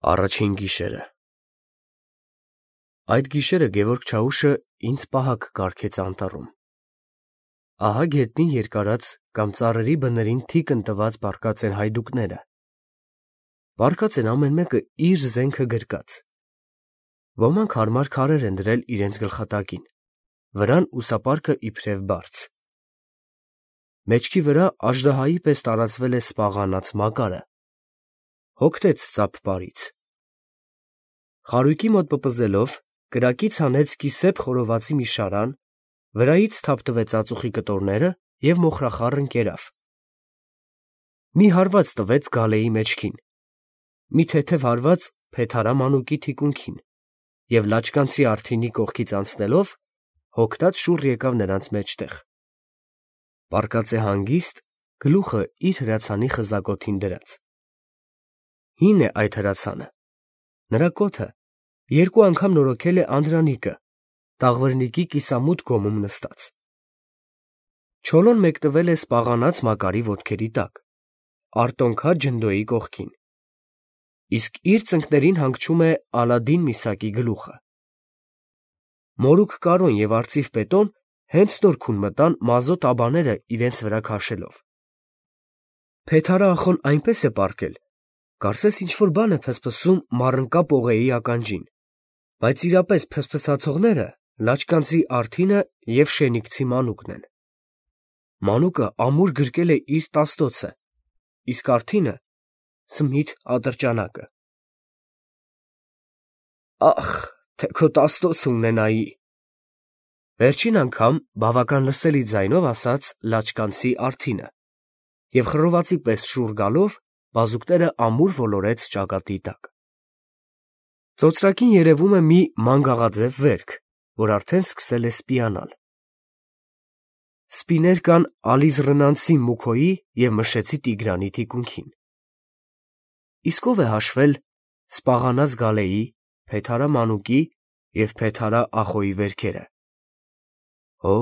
Առաջին գիշերը։ Այդ գիշերը Գևորգ Չաուշը ինձ պահակ կարգեց անտառում։ Ահա գետնին երկարած կամ ծառերի բներին թիկն տված բարկած են հայդուկները։ Բարկած են ամեն մեկը իր զենքը գրկած։ Ոմանք հարմար քարեր են դրել իրենց գլխատակին, վրան ուսապարկը իբրև բարձ։ Մեջքի վրա աժդահայի պես տարածվել է սպաղանած մակարը։ Հոգնեց ծափպարից։ Խարույկի մոտ պպզելով, կրակից հանեց կիսեփ խորովածի մի շարան, վրայից թափտվեց ածուխի կտորները և մոխրախառն կերավ։ Մի հարված տվեց գալեի մեջքին, մի թեթև հարված փեթարա մանուկի թիկունքին և լաճկանցի արթինի կողքից անցնելով, հոգնած շուռ եկավ նրանց մեջտեղ։ Պառկած է հանգիստ, գլուխը իր հրացանի խզակոթին դրած։ Հին է այդ հրացանը, նրա կոթը երկու անգամ նորոգել է Անդրանիկը, տաղվրնիկի կիսամութ գոմում նստած։ Չոլոն մեկնվել է սպաղանած մակարի ոտքերի տակ, արտոնքած ջնդոյի կողքին, իսկ իր ծնկներին հանգչում է Ալադին միսակի գլուխը։ Մորուք Կարոն և արծիվ Պետոն հենց նոր քուն մտան մազոտ աբաները իրենց վրա քաշելով։ Փեթարա ախոն այնպես է պառկել, կարծես ինչ-որ բան է փսփսում մառընկա պողեի ականջին, բայց իրապես փսփսացողները լաճկանցի արթինը և շենիկցի մանուկն են։ Մանուկը ամուր գրկել է իր տաստոցը, իսկ արթինը Սմիթ ատրճանակը։ Ախ, թե քո տաստոցը ունենայի, վերջին անգամ բավական լսելի ձայնով ասաց լաճկանցի արթինը և խռովածի պես շուռ գալով բազուկները ամուր ոլորեց ճակատի տակ։ Ծոծրակին երևում է մի մանգաղաձև վերք, որ արդեն սկսել է սպիանալ։ Սպիներ կան Ալիզռնանցի Մուքոյի և Մշեցի Տիգրանի թիկունքին։ Իսկ ով է հաշվել սպաղանած գալեի, փեթարա մանուկի և փեթարա ախոյի վերքերը։ Օ,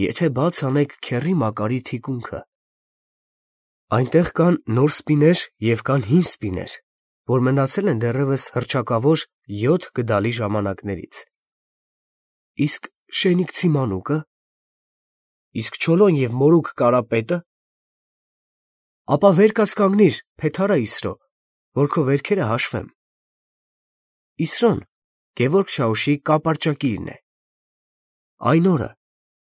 եթե բաց անեք քեռի մակարի թիկունքը։ Այնտեղ կան նոր սպիներ և կան հին սպիներ, որ մնացել են դեռևս հռչակավոր 7 գդալի ժամանակներից։ Իսկ շենիկցի մանուկը։ Իսկ Չոլոն և մորուք Կարապետը։ Ապա վեր կաց կանգնիր, փեթարա Իսրո, որ քո վերքերը հաշվեմ։ Իսրոն Գևորգ Չաուշի կապարճակիրն է։ Այն օրը,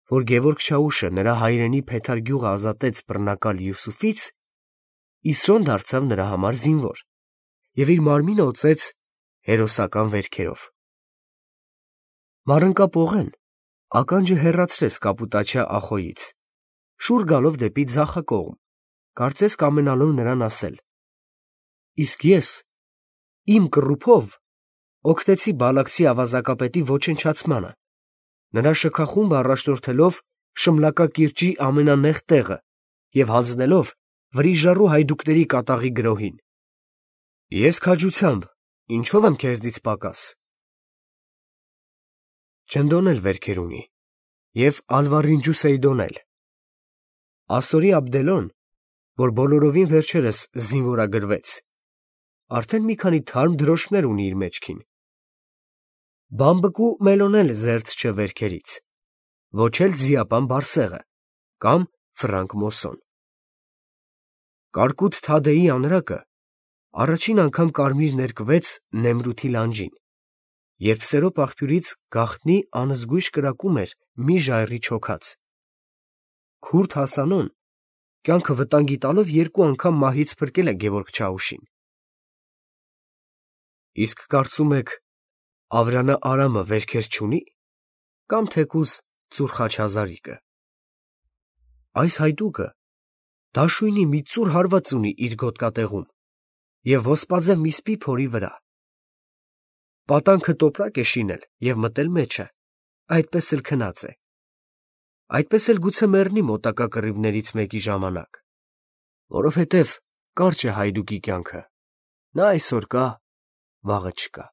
որ Գևորգ Չաուշը նրա հայրենի Փեթար գյուղը ազատեց բռնակալ Յուսուֆից, Իսրոն դարձավ նրա համար զինվոր և իր մարմինը օծեց հերոսական վերքերով։ Մառընկա պողեն ականջը հեռացրեց կապուտաչյա ախոյից, շուռ գալով դեպի ձախակողմ, կարծես կամենալով նրան ասել. իսկ ես իմ կռուփով օգնեցի Բալաքցի ավազակապետի ոչնչացմանը, նրա շքախումբը առաջնորդելով Շմլակա կիրճի ամենանեղ տեղը և հանձնելով վրիժառու հայդուկների կատաղի գրոհին։ Ես քաջությամբ ինչո՞վ եմ քեզնից պակաս։ Ջնդոն էլ վերքեր ունի, և Ալվարինջու Սեյդոն էլ։ Ասորի Աբդելոն, որ բոլորովին վերջերս զինվորագրվեց, արդեն մի քանի թարմ դրոշմներ ունի իր մեջքին։ Բամբկու Մելոն էլ զերծ չէ վերքերից, ոչ էլ Ձիապան Բարսեղը կամ Ֆրանկ Մոսոն։ Կարկուտ Թադեի անրակը առաջին անգամ կարմիր ներկվեց Նեմրութի լանջին, երբ Սերոպ աղբյուրից գաղտնի անզգույշ կրակում էր մի ժայռի չոքած։ Քուրդ Հասանոն կյանքը վտանգի տալով երկու անգամ մահից փրկել է Գևորգ Չաուշին։ Իսկ կարծում եք Ավրանա Արամը վերքեր չունի, կամ թեկուզ ծուռ Խաչազարիկը։ Այս հայդուկը դաշույնի մի ծուռ հարված ունի իր գոտկատեղում և ոսպաձև մի սպի փորի վրա։ Պատանքը տոպրակ է շինել և մտել մեջը, այդպես էլ քնած է։ Այդպես էլ գուցե մեռնի մոտակա կռիվներից մեկի ժամանակ, որովհետև կարճ է հայդուկի կյանքը, նա այսօր կա, վաղը չկա։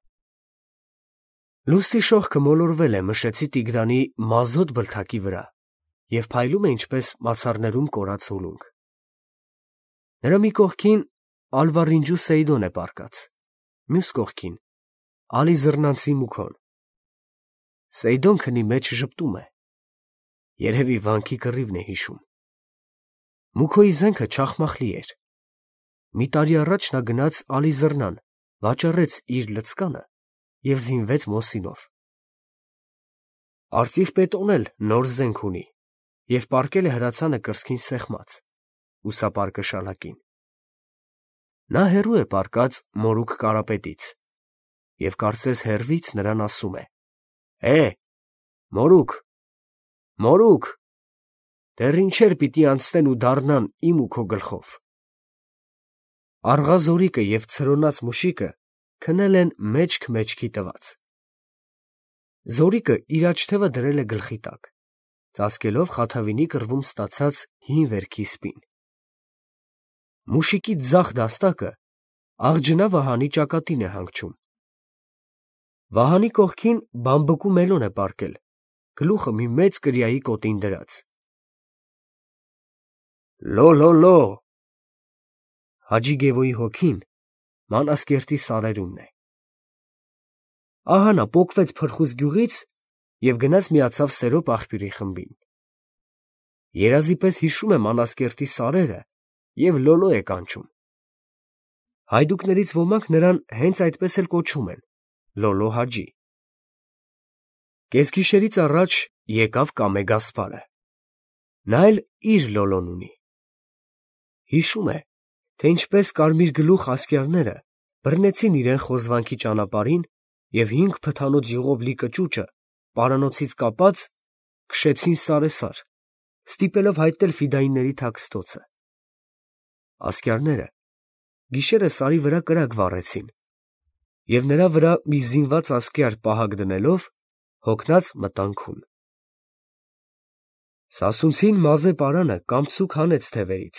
Լուսնի շողքը մոլորվել է Մշեցի Տիգրանի մազոտ բլթակի վրա և փայլում է ինչպես մացառներում կորած հուլունք։ Նրա մի կողքին Ալվարինջու Սեյդոն է պառկած, մյուս կողքին Ալիզռնանցի Մուքոն։ Սեյդոն քնի մեջ ժպտում է, երևի վանքի կռիվն է հիշում։ Մուքոյի զենքը չախմախլի էր։ Մի տարի առաջ նա գնաց Ալիզռնան, վաճառեց իր լցկանը և զինվեց Մոսինով։ Արծիվ պետոն էլ նոր զենք ունի և պառկել է հրացանը կրծքին սեղմած, ուսապարկը շալակին։ Նա հեռու է պառկած մորուք Կարապետից և կարծես հեռվից նրան ասում է. մորուք, մորուք, դեռ ինչեր պիտի անցնեն ու դառնան իմ ու քո գլխով։ Աղա Զորիկը և ցրոնած մուշիկը քնել են մեջք-մեջքի տված։ Զորիկը իր աջ թևը դրել է գլխի տակ, ծածկելով խաթավինի կռվում ստացած հին վերքի սպին։ Մուշիկի ձախ դաստակը աղջնա Վահանի ճակատին է հանգչում։ Վահանի կողքին բամբկու մելոն է պառկել, գլուխը մի մեծ կրիայի կոտին դրած։ Լո, Հաջի Գևոյի հոգին Մանասկերտի սարերումն է։ Ահա նա պոկվեց Փրխուս գյուղից և գնաց միացավ Սերոպ աղբյուրի խմբին։ Երազի պես հիշում է Մանասկերտի սարերը և լոլո է կանչում։ Հայդուկներից ոմանք նրան հենց այդպես էլ կոչում են՝ Լոլո Հաջի։ Կեսգիշերից առաջ եկավ Կամե Գասպարը։ Նա էլ իր Լոլոն ունի։ Հիշում է, թե ինչպես կարմիր գլուխ ասկյարները բռնեցին իրեն խոզվանքի ճանապարհին և 5 փթանոց յուղով լի կճուճը պարանոցից կապած քշեցին սարեսար, ստիպելով հայտնել ֆիդայինների թաքստոցը։ Ասկյարները գիշերը սարի վրա կրակ վառեցին և նրա վրա մի զինված ասկյար պահակ դնելով հոգնած մտան քուն։ Սասունցին մազե պարանը կամցուկ հանեց թևերից,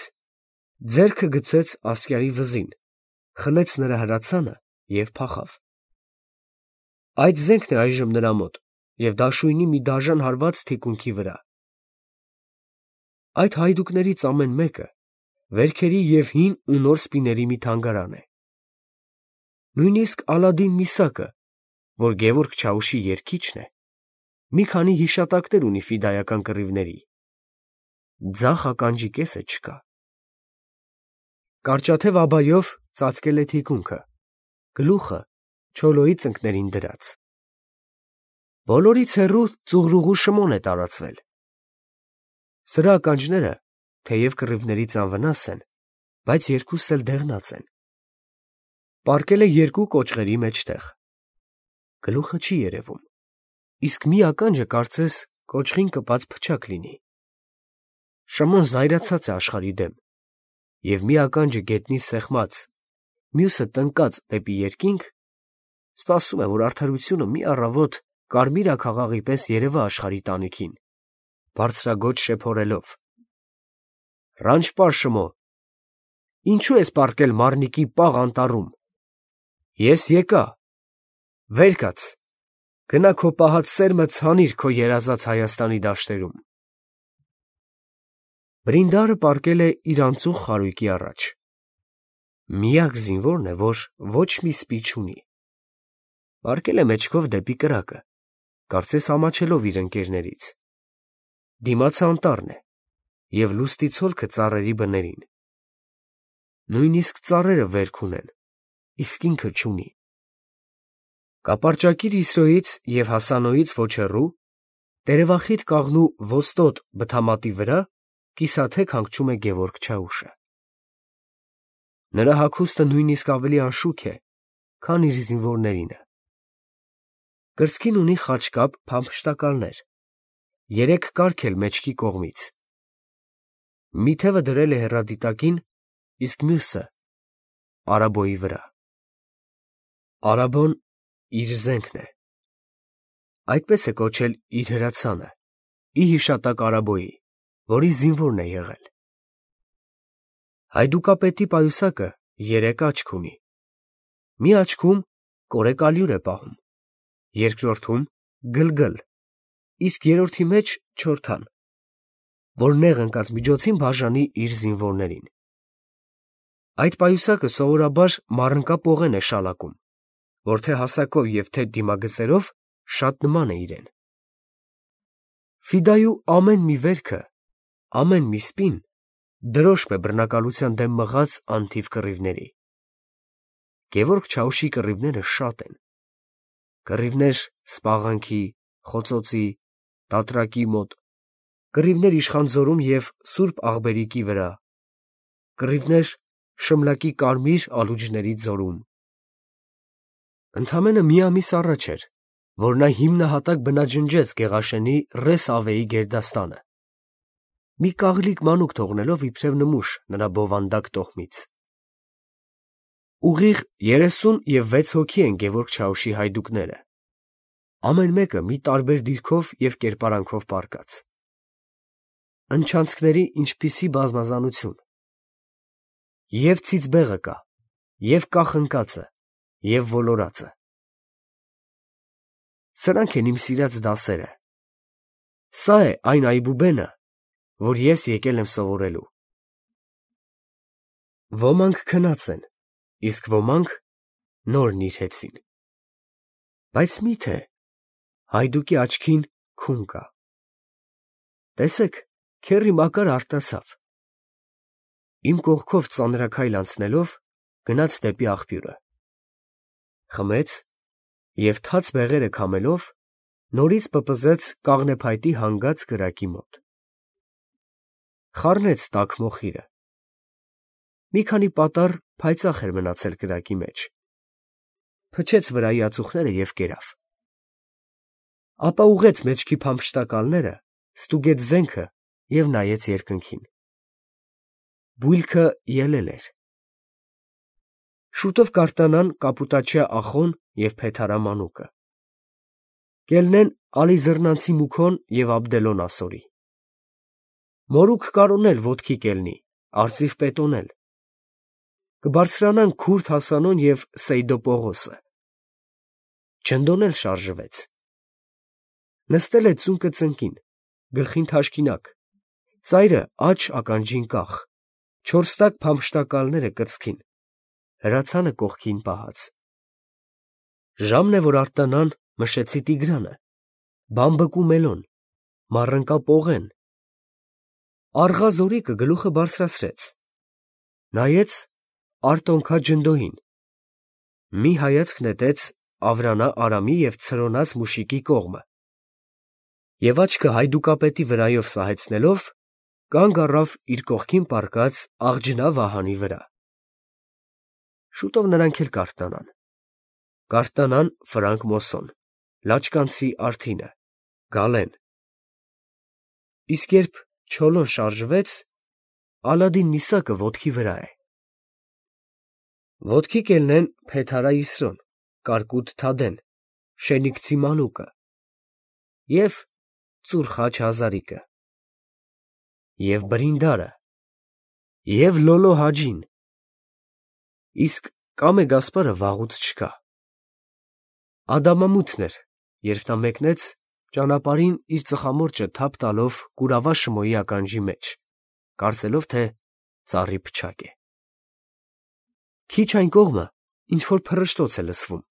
ձեռքը գցեց ասկյարի վզին, խլեց նրա հրացանը և փախավ։ Այդ զենքն է այժմ նրա մոտ և դաշույնի մի դաժան հարված թիկունքի վրա։ Այդ հայդուկներից ամեն մեկը վերքերի և հին ու նոր սպիների մի թանգարան է։ Նույնիսկ Ալադին Միսակը, որ Գևորգ Չաուշի երգիչն է, մի քանի հիշատակներ ունի ֆիդայական կռիվների։ Ձախ ականջի կեսը չկա։ Կարճաթև աբայով ծածկել է թիկունքը, գլուխը չոլոյի ծնկներին դրած։ Բոլորից հեռու ծուղրուղու շմոն է տարածվել։ Սրա ականջները, թեև կռիվներից անվնաս են, բայց երկուսն էլ դեղնած են։ Պառկել է 2 կոճղերի մեջտեղ։ Գլուխը չի երևում, իսկ մի ականջը կարծես կոճղին կպած փչակ լինի։ Շմոն զայրացած է աշխարհի դեմ, և մի ականջը գետնին սեղմած, մյուսը տնկած դեպի երկինք, սպասում է, որ արդարությունը մի առավոտ կարմիր աքաղաղի պես երևա աշխարհի տանիքին, բարձրաձոչ շեփորելով. «Ռանչպար Շմո, ինչու ես պառկել Մարնիկի պաղ անտառում։ Ես եկա, վեր կաց, գնա քո պահած սերմը ցանիր քո երազած Հայաստանի դաշտերում»։ Բրինդարը պառկել է իր անծուխ խարույկի առաջ։ Միակ զինվորն է, որ ոչ մի սպի չունի։ Պառկել է մեջքով դեպի կրակը, կարծես ամաչելով իր ընկերներից։ Դիմացը անտառն է և լուստի ցոլքը ծառերի բներին։ Նույնիսկ ծառերը վերք ունեն, իսկ ինքը չունի։ Կապարճակիր Իսրոյից և Հասանոյից ոչ հեռու, տերևախիտ կաղնու ոստոտ բթամատի վրա կիսաթեք հանգչում է Գևորգ Չաուշը։ Նրա հագուստը նույնիսկ ավելի անշուք է, քան իր զինվորներինը։ Կրծքին ունի խաչկապ փամփշտակալներ, 3 կարգ էլ մեջքի կողմից։ Մի թևը դրել է հեռադիտակին, իսկ մյուսը արաբոյի վրա։ Արաբոն իր զենքն է։ Այդպես է կոչել իր հրացանը, ի հիշատակ Արաբոյի, որի զինվորն է եղել։ Հայդուկապետի պայուսակը 3 աչք ունի։ Մի աչքում կորեկալյուր է պահում, երկրորդում գլգլ, իսկ երրորդի մեջ չորթան, որ նեղ ընկած միջոցին բաժանի իր զինվորներին։ Այդ պայուսակը սովորաբար մառնկա պողեն է շալակում, որ թե հասակով և թե դիմագծերով շատ նման է իրեն։ Ֆիդայու ամեն մի վերքը, ամեն մի սպին դրոշմ է բռնակալության դեմ մղած անթիվ կռիվների։ Գևորգ Չաուշի կռիվները շատ են. կռիվներ Սպաղանքի, Խոցոցի, Տատրակի մոտ, կռիվներ Իշխանձորում և Սուրբ Աղբերիկի վրա, կռիվներ Շմլակի Կարմիր ալուջների ձորում։ Ընդամենը մի ամիս առաջ էր, որ նա հիմնահատակ բնաջնջեց Գեղաշենի Ռես Ավեի գերդաստանը, մի կաղլիկ մանուկ թողնելով իբրև նմուշ նրա բովանդակ տոհմից։ Ուղիղ 36 հոգի են Գևորգ Չաուշի հայդուկները, ամեն մեկը մի տարբեր դիրքով և կերպարանքով պառկած։ Ընչանցքների ինչպիսի բազմազանություն. և ցիծբեղը կա, և կախնկածը, և ոլորածը։ Սրանք են իմ սիրած դասերը։ Սա է այն այբուբենը, որ ես եկել եմ սովորելու։ Ոմանք քնած են, իսկ ոմանք նոր նիրհեցին։ Բայց մի՞թե հայդուկի աչքին քուն կա։ Տեսեք, քեռի Մակար արտացավ։ Իմ կողքով ծանրաքայլ անցնելով, գնաց դեպի աղբյուրը։ Խմեց և թաց բեղերը քամելով, նորից պպզեց կաղնեփայտի հանգած կրակի մոտ։ Խառնեց տաք մոխիրը։ Մի քանի պատառ փայծաղ էր մնացել կրակի մեջ։ Փչեց վրայի ածուխները և կերավ։ Ապա ուղղեց մեջքի փամփշտակալները, ստուգեց զենքը և նայեց երկնքին։ Բույլքը ելել էր։ Շուտով կարտանան Կապուտաչյա Ախոն և Փեթարա մանուկը։ Կելնեն Ալիզռնանցի Մուքոն և Աբդելոն ասորի։ Մորուք կարոնել ոտքի կելնի, արծիվ պետոնել։ Կբարձրանան Քուրդ Հասանոն և Սեյդո Պողոսը։ Չնդոնել շարժվեց։ Նստել է ծունկը ծնկին, գլխին թաշկինակ, ծայրը աջ ականջին կախ, չորս տակ փամփշտակալները կրծքին, հրացանը կողքին պահած։ Ժամն է, որ արտանան Մշեցի Տիգրանը, Բամբկու Մելոն, Մառընկա Պողեն։ Առղա Զորիկը գլուխը բարձրացրեց, նայեց Արտոնքա Ջնդոյին, մի հայացք նետեց Ավրանա Արամի և ցրոնած Մուշիկի կողմը և աչքը հայդուկապետի վրայով սահեցնելով, կանգ առավ իր կողքին պառկած Աղջնա Վահանի վրա։ Շուտով նրանք էլ կարթնանան։ Կարթնանան Ֆրանկ Մոսոն, Լաչկանցի Արթինը, Գալեն։ Իսկ երբ Չոլոն շարժվեց, Ալադին նիսակը ոտքի վրա է։ Ոտքի կելնեն Փեթարա Իսրոն, Կարկուտ Թադեն, Շենիքցի մանուկը և Ծուռ խաչ Հազարիկը, և Բրինդարը, և Լոլո Հաջին, իսկ Կամե Գասպարը վաղուց չկա։ Ադամամութն էր, երբ նա մեկնեց, ճանապարհին իր ծխամորճը թափ տալով կուրավա Շմոյի ականջի մեջ, կարծելով, թե ծառի փչակ է։ Քիչ այն կողմը ինչ֊որ փռշտոց է լսվում։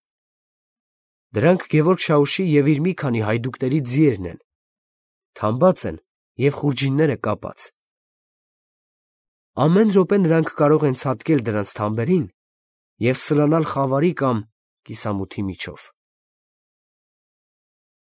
Դրանք Գևորգ Շաուշի և իր մի քանի հայդուկների ձիերն են, թամբած են և խուրջինները կապած։ Ամեն րոպե նրանք կարող են ցատկել դրանց թամբերին և սլանալ խավարի կամ կիսամութի միջով։